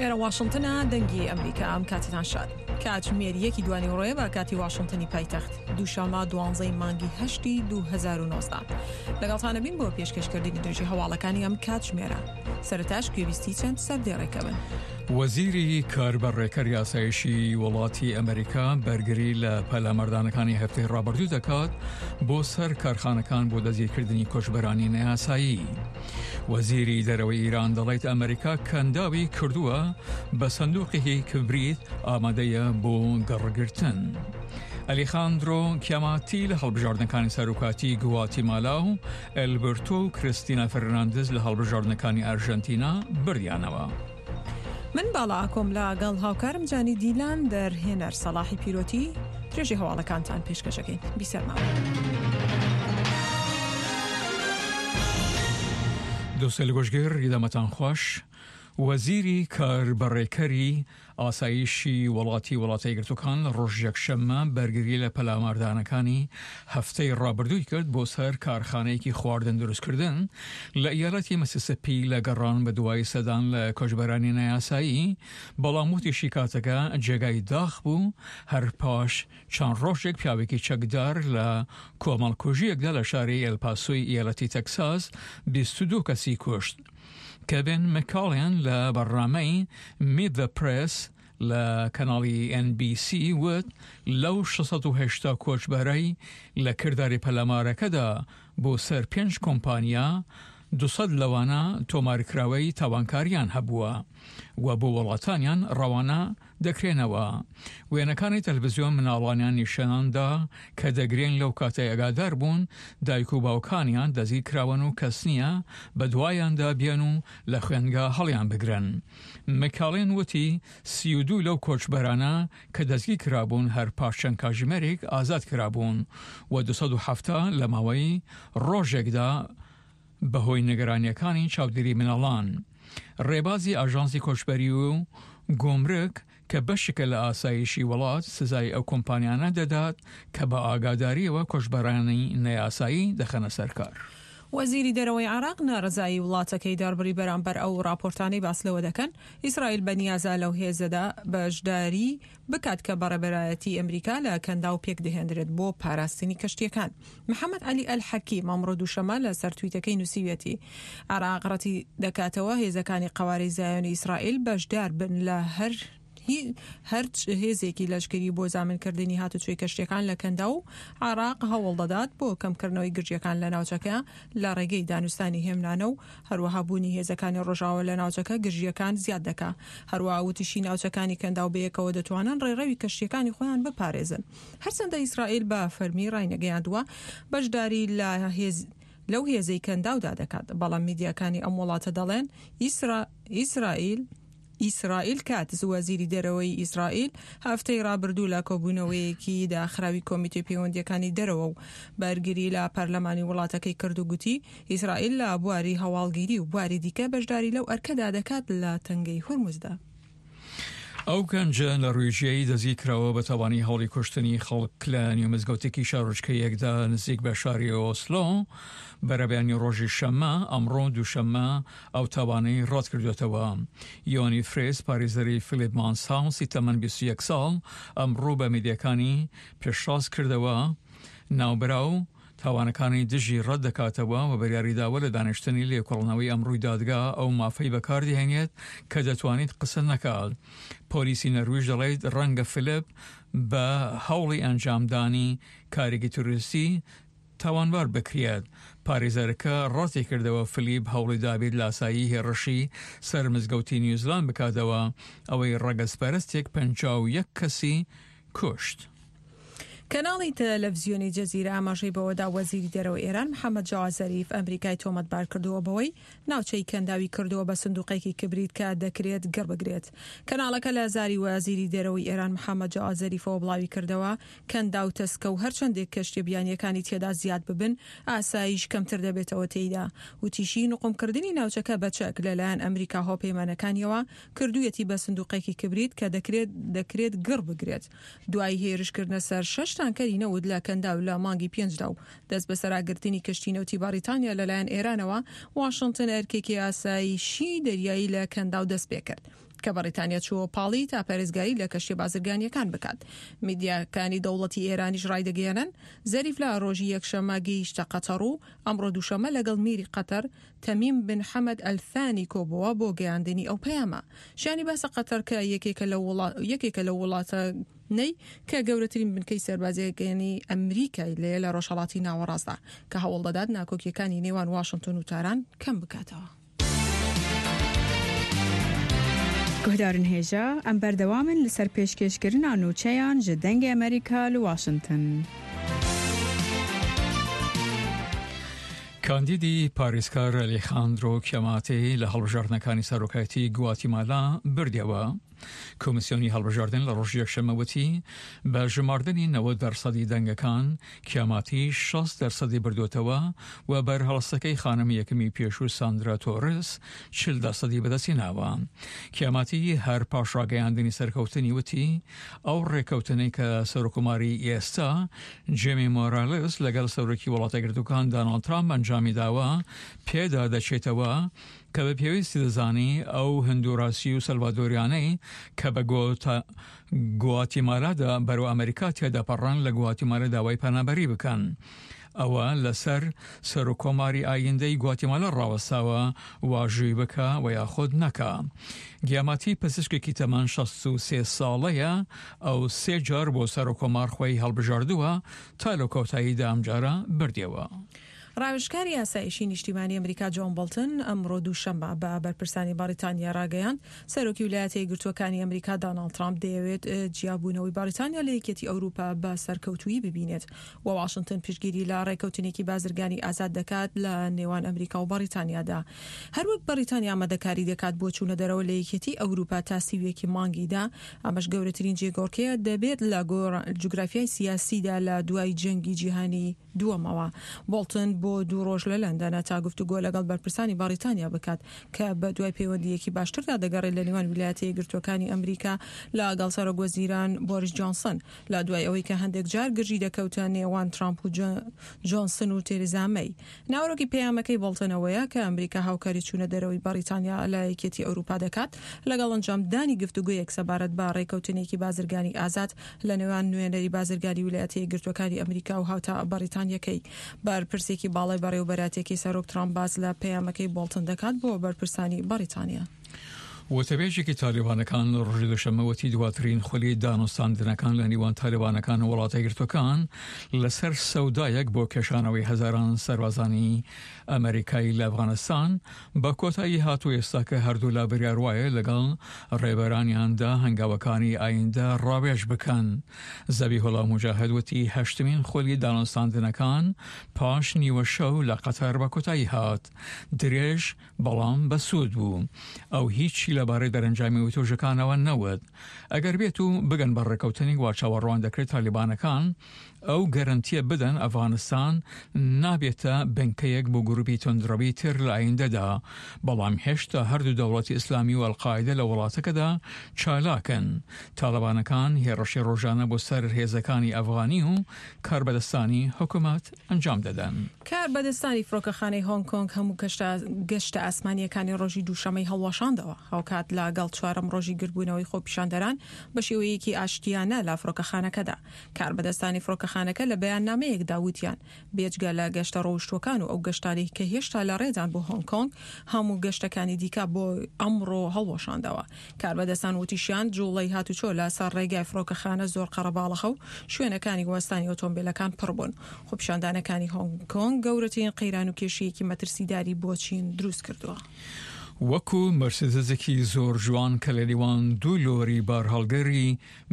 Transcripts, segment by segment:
ئێرە واشنتنە دەنگی ئەمریکا ئەم کاتتان شاد کاتژمێر یەکی دوانیوەڕۆیە بە کاتی واشنتنی پایتەخت دووشەممە دوانزەی مانگی هەشتی 2019 لەگەڵتانە بین بۆ پێشکەشکردنی درێژی هەواڵەکانی ئەم کاتژمێرە سەرەتاش گوێبیستی چەند سەردێڕێکە بن. وەزیری کاربەڕێکەری ئاسایشی وڵاتی ئەمریکا بەرگری لە پەلاماردانەکانی هەفتەی ڕابردوو دەکات بۆ سەر کارخانەکان بۆ دەستگیرکردنی کۆچبەرانی نەیاسایی. وەزیری دەرەوەی ئیران دەڵێت ئەمریکا کەنداوی کردووە بە سندوقێکی کبریت ئامادەیە بۆ گەڕگرتن. ئەلیخاندرۆ کیاماتی لە هەڵبژاردنەکانی سەرۆکاتی گواتیمالا و ئەلبرتۆ و کریستینا فەرناندز لە هەڵبژاردنەکانی ئەرژەنتینا بردیانەوە. من باڵا ئاکۆم لە گەڵ هاوکارم جانی دیلان دەرهێنەر سەڵاحی پیرۆتی درێژی هەواڵەکانتان پێشکەشەکەین بیسەرمان. دۆستەیل گۆشگر دەمەتان خوەش وەزیری کاربەڕێکەری ئاسایشی وڵاتی وڵاتە یەکگرتووەکان لە ڕۆژی یەکشەممە بەرگری لە پەلاماردانەکانی هەفتەی ڕابردووی کرد بۆ سەر کارخانەیەکی خواردن دروستکردن لە ئیالەتی مسیسپی لە گەڕان بە دوای سەدان لە کۆچبەرانی نایاسایی، بەڵام وتیشی کاتەکە جێگای داخ بوو هەر پاش چەند ڕۆژێک پیاوێکی چەکدار لە کۆمەڵکوژییەکدا لە شاری ئێلپاسۆی ئیالەتی تەکساس 22 کەسی کوشت. کێڤن مکاڵێن لە بەرنامەی Meet the Press لە کەناڵی ئێن بی سی وت، لەو 680 کۆچبەرەی لە کرداری پەلامارەکەدا بۆ سەر پێنج کۆمپانیا، 200 لەوانە تۆمارکراوەی تاوانکارییان هەبووە و بۆ وڵاتانیان ڕەوانە دەکرێنەوە. وێنەکانی تەلەفزیۆن مناڵانیان نیشان دا کە دەگرێن لەو کاتەی ئاگادار بوون دایک و باوکانیان دەستگیر کراون و کەس نییە بەدوایاندا بێن و لە خوێندگا هەڵیان بگرن. مکالێن وتی 32 لەو کۆچبەرانە کە دەستگیر کرابوون هەر پاش چەند کاژمێرێک ئازاد کرابوون و 270 لە ماوەی ڕۆژێکدا بەهۆی نیگەرانییەکانی چاودێری مناڵان. ڕێبازی ئاژانسی کۆچبەری و گومرگ کە بەشێکە لە ئاسایشی وڵات، سزای ئەو کۆمپانیانە دەدات کە بە ئاگادارییەوە کۆچبەرانی نەیاسایی دەخەنە سەر کار. وەزیری دەرەوەی عێراق ناڕەزایی وڵاتەکەی دەربڕی بەرامبەر ئەو ڕاپۆرتانەی باس لەوە دەکەن ئیسرائیل بەنیازە لەو هێزەدا بەشداری بکات کە بە ڕێبەرایەتی ئەمریکا لە کەنداو پێکدەهێندرێت بۆ پاراستنی کەشتییەکان. محەمەد عەلی ئەلحەکیم ئەمڕۆ دووشەممە لە سەر تویتەکەی نووسیویەتی، عێراق ڕەتی دەکاتەوە هێزەکانی قەوارەی زایۆنی ئیسرائیل بەشدار بن لە هەر هەر هێزێکی لەشکری بۆ زامنکردنی هاتوچۆی کەشتیەکان لە کەنداو و عێراق هەوڵ دەدات بۆ کەمکردنەوەی گرژیەکان لە ناوچەکە لە ڕێگەی دانوستانی هێمنانە و هەروەها بوونی هێزەکانی ڕۆژاوا لە ناوچەکە گرژییەکان زیاد دەکا. هەروەها وتیشی ناوچەکانی کەنداو بەیەکەوە دەتوانن ڕێڕەوی کەشتییەکانی خۆیان بپارێزن. هەرچەندە ئیسرائیل بە فەرمی ڕاینەگەیاندووە بەشداری لە هێز لەو هێزەی کەنداودا دەکات، بەڵام میدیاکانی ئەم وڵاتە دەڵێن ئیسرائیل ئیسرائیل کاتز، وەزیری دەرەوەی ئیسرائیل هەفتەی ڕابردوو لە کۆبوونەوەیەکی داخراوی کۆمیتەی پەیوەندییەکانی دەرەوە و بەرگری لە پەرلەمانی وڵاتەکەی کرد و گوتی، ئیسرائیل لە بواری هەواڵگیری و بواری دیکە بەشداری لەو ئەرکەدا دەکات لە تەنگەی هورمزدا. ئەو گەنجە نەرویژیەی دەستگیرکراوە بە تاوانی هەوڵی کوشتنی خەڵک لە نیو مزگەوتێکی شارۆچکەیەکدا نزیک بە شاری ئۆسلۆ بەرەبەیانی ڕۆژی شەممە، ئەمڕۆ دووشەممە ئەو تاوانەی ڕەتکردوێتەوە. یۆنی فرێس، پارێزەری فیلیپ مانسهاوسی تەمەن 21 ساڵ، ئەمڕۆ بە میدیاکانی پشتڕاست کردەوە، ناوبراو تاوانەکانی دژی ڕەت دەکاتەوە و بڕیاریداوە لە دانیشتنی لێکۆڵنەوەی ئەمڕۆی دادگا ئەو مافەی بەکاردەهێنێت کە دەتوانێت قسە نەکات. پۆلیسی نەرویج دەڵێت ڕەنگە فیلیپ بە هەوڵی ئەنجامدانی کارێکی تیرۆریستی تاوانبار بکرێت. پارێزەرەکە ڕەتیکردەوە فلیپ هەوڵی دابێت لاسایی هێڕشی سەر مزگەوتی نیوزلاند بکاتەوە، ئەوەی ڕەگەزپەرستێک 51 کەسی کوشت. کەناڵی تەلەفزیۆنی جەزیرە ئاماژەی بەوەدا وەزیری دەرەوەی ئێران محەمەد جەواد زەریف ئەمریکای تۆمەتبار کردووە بەوەی ناوچەی کەنداوی کردووە بە سندوقێکی کبریت کە دەکرێت گڕ بگرێت. کەناڵەکە لە زاری وەزیری دەرەوەی ئێران محەمەد جەواد زەریفەوە بڵاویکردەوە، کەنداو تەسکە و هەرچەندێک کەشتیە بیانیەکانی تێدا زیاد ببن ئاسایش کەمتر دەبێتەوە تێیدا. وتیشی، نوقمکردنی ناوچەکە بە چەک لەلایەن ئەمریکا و هاوپەیمانەکانیەوە کردوویەتی بە سندوقێکی کبریت کە دەکرێت دەکرێت گڕ بگرێت. دوای هێرشکردنە سەر شەش تانکەری نەوت لە کەنداو لە مانگی پێنجدا و دەستبەسەراگرتنی کەشتی نەوتی بەڕیتانیا لەلایەن ئێرانەوە، واشنتن ئەرکێکی ئاسایشی دەریایی لە کەنداو دەستپێکرد. کە بەڕیتانیا چووە پاڵی تا پارێزگاری لە کەشتیە بازرگانییەکان بکات. میدیاکانی دەوڵەتی ئێرانیش ڕایدەگەیەنن، زەریف لە ڕۆژی یەکشەممە گەیشتە قەتەڕ و ئەمڕۆ دووشەممە لەگەڵ میری قەتەر تەمیم بن حەمەد ئەلثانی کۆبۆوە بۆ گەیاندنی ئەو پەیامە. شایانی باسە قەتەر کە یەکێکە لەو یەکێکە لەو وڵاتانەی کە گەورەترین بنکەی سەربازییەکانی ئەمریکای لێیە لە ڕۆژهەڵاتی ناوەڕاستدا کە هەوڵدەدات ناکۆکییەکانی نێوان واشنتۆن و تاران کەم بکاتەوە. Guhdarên hêja, em berdewam in li ser pêşkêşkirina nûçeyan ji Dengê Amerîka li Washington. کاندیدی پارێزکار ئەلیخاندرۆ کیاماتی لە هەڵبژاردنەکانی سەرۆکایەتی گواتیمالا بردیەوە. کۆمیسیۆنی هەڵبژاردن لە ڕۆژی یەکشەممە وتی، بە ژماردنی 90 دەرسەدی دەنگەکان، کیاماتی 60 دەرسەدی بردووەتەوە و بەرهەڵستەکەی خانمی یەکەمی پێشوو ساندرا تۆرس 40 دەرسەدی بەدەستهێناوە. کیاماتی هەر پاش ڕاگەیاندنی سەرکەوتنی وتی، ئەو ڕێککەوتنەی کە سەرۆککۆماری ئێستا جێمی مۆرالس لەگەڵ سەرۆکی وڵاتەیەکگرتووەکان داناڵد ترامپ ئەنجامی داوە پێدا دەچێتەوە کە بە پێویستی دەزانی ئەو هندوراسی و سەلڤادۆریانەی کە بە گواتیمالادا بەرەو ئەمریکا تێدەپەڕن لە گواتیمالا داوای پەنابەری بکەن. ئەوە لەسەر سەرۆککۆماری ئایندەی گواتیمالا ڕاوەستاوە واژووی بکا و یاخود نەکا. گیاماتی پزیشکێکی تەمەن 63 ساڵەیە، ئەو سێ جار بۆ سەرۆککۆمار خۆی هەڵبژاردووە تا لە کۆتاییدا ئەمجارە بردیەوە. ڕاوێژکاری ئاسایشی نیشتیمانی ئەمریکا جۆن بۆڵتن ئەمڕۆ دووشەممە بە بەرپرسانی بەڕیتانیا ڕاگەیاند، سەرۆکی ولایەتە یەکگرتووەکانی ئەمریکا داناڵد ترامپ دەیەوێت جیابوونەوەی بەڕیتانیا لە یەکێتی ئەوروپا بە سەرکەوتوویی ببینێت و واشنتن پشتگیری لە ڕێککەوتنێکی بازرگانی ئازاد دەکات لە نێوان ئەمریکا و بەڕیتانیادا. هەروەک بەڕیتانیا ئامادەکاری دەکات بۆ چوونە دەرەوە لە یەکێتی ئەوروپا تا 31 ی مانگی دە، ئەمەش گەورەترین جێگۆڕکێ دەبێت لە جوگرافیای سیاسیدا لە دوای جەنگی جیهانی دووەمەوە. بۆڵتن بۆ دوو ڕۆژ لە لەندەنە تا گفتوگۆ لەگەڵ بەرپرسانی بەڕیتانیا بکات کە بەدوای پەیوەندییەکی باشتردا دەگەڕێت لە نێوان ویلایەتە یەکگرتووەکانی ئەمریکا لەگەڵ سەرۆکوەزیران بۆریس جۆنسن لە دوای ئەوەی کە هەندێک جار گرژی دەکەوتە نێوان ترامپ و جۆنسن و تێریزا مەی. ناوەرۆکی پەیامەکەی بۆڵتن ئەوەیە کە ئەمریکا هاوکاری چوونە دەرەوەی بەڕیتانیا لە یەکێتی ئەوروپا دەکات لەگەڵ ئەنجامدانی گفتوگۆیەک سەبارەت بە ڕێکەوتنێکی بازرگانی ئازاد لە نێوان نوێنەری بازرگانی ویلایەتە یەکگرتووەکانی ئەمریکا و هاوتا بەڕیتانییەکەی. بەرپرسێکی باڵای بەڕێوەبەرایەتییەکەی سەرۆک ترامپ باس لە پەیامەکەی بۆڵتن دەکات بۆ بەرپرسانی بەڕیتانیا. وتەبێژێکی تالیبانەکان لە ڕۆژی دووشەممە وتی دواترین خولی دانوستاندنەکان لە نێوان تالیبانەکان و وڵاتە یەکگرتووەکان لەسەر سەودایەک بۆ کێشانەوەی هەزاران سەربازانی ئەمەریکایی لە ئەفغانستان بە کۆتایی هات و ئێستاکە هەردوولا بریار وایە لەگەڵ ڕێبەرانیاندا هەنگاوەکانی ئایندە ڕاوێژ بکەن. زەبیحوڵا موجاهد وتی هەشتمین خولی دانوستاندنەکان پاش نیوە شەو لە قەتەر بە کۆتایی هات. درێژ بەڵام بەسوود بوو. ئەو هیچی لەبارەی دەرەنجامی وتوێژەکانەوە نەوت. ئەگەر بێت و بگەن بە ڕێککەوتنێک وا چاوەڕوان دەکرێت تالیبانەکان ئەو گەرەنتیە بدەن ئەفغانستان نابێتە بنکەیەک بۆ گروپی توندڕەوی تر لە ئایندەدا، بەڵام هێشتا هەردوو دەوڵەتی ئیسلامی و ئەلقاعیدە لە وڵاتەکەدا چالاکن. تاڵبانەکان هێڕشی ڕۆژانە بۆ سەر هێزەکانی ئەفغانی و کاربەدەستانی حکومەت ئەنجام دەدەن. کاربەدەستانی فڕۆکەخانەی هۆنگ کۆنگ هەموو گەشتە ئاسمانییەکانی ڕۆژی دووشەممەی هەڵوەشاندەوە، هاوکات لە گەڵ چوارەم ڕۆژی گردبوونەوەی خۆپیشاندەران بە شێوەیەکی ئاشتیانە لە فڕۆکەخانەکەدا. کاربەدەستانی فڕۆکەخانەکە لە بەیاننامەیەکدا وتیان، بێجگە لە گەشتە ڕۆیشتووەکان و ئەو گەشتانەی کە هێشتا لە ڕێدان بۆ هۆنگ کۆنگ، هەموو گەشتەکانی دیکە بۆ ئەمڕۆ هەڵوەشاندەوە. کاربەدەستان وتیشیان، جوڵەی هاتوچۆ لە سەر ڕێگای فڕۆکەخانە زۆر قەرەباڵخە و شوێنەکانی وەستانی ئۆتۆمبێلەکان پڕ بوون. خۆپیشاندانەکانی هۆنگ کۆنگ گەورەترین قەیران و کێشەیەکی مەترسیداری بۆ چین دروست کردووە. وەکو مەرسیدزێکی زۆر جوان کە لە نێوان دوو لۆری بارهەڵگری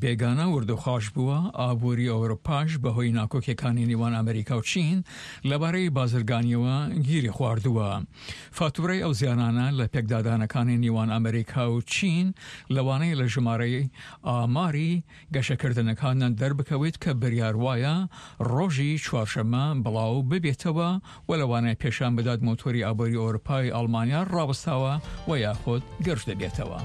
بێگانە وردوخاش بووە، ئابووری ئەوروپاش بەهۆی ناکۆکیەکانی نێوان ئەمریکا و چین لەبارەی بازرگانیەوە گیری خواردووە. فاتورەی ئەو زیانانە لە پێکدادانەکانی نێوان ئەمریکا و چین لەوانەیە لە ژمارەی ئاماری گەشەکردنەکانیان دەربکەوێت کە بریار وایە ڕۆژی چوارشەممە بڵاو ببێتەوە و لەوانەیە پێشان بدات مۆتۆری ئابووری ئەوروپای ئەڵمانیا ڕاوەستاوە و یاخود گرژ دەبێتەوە.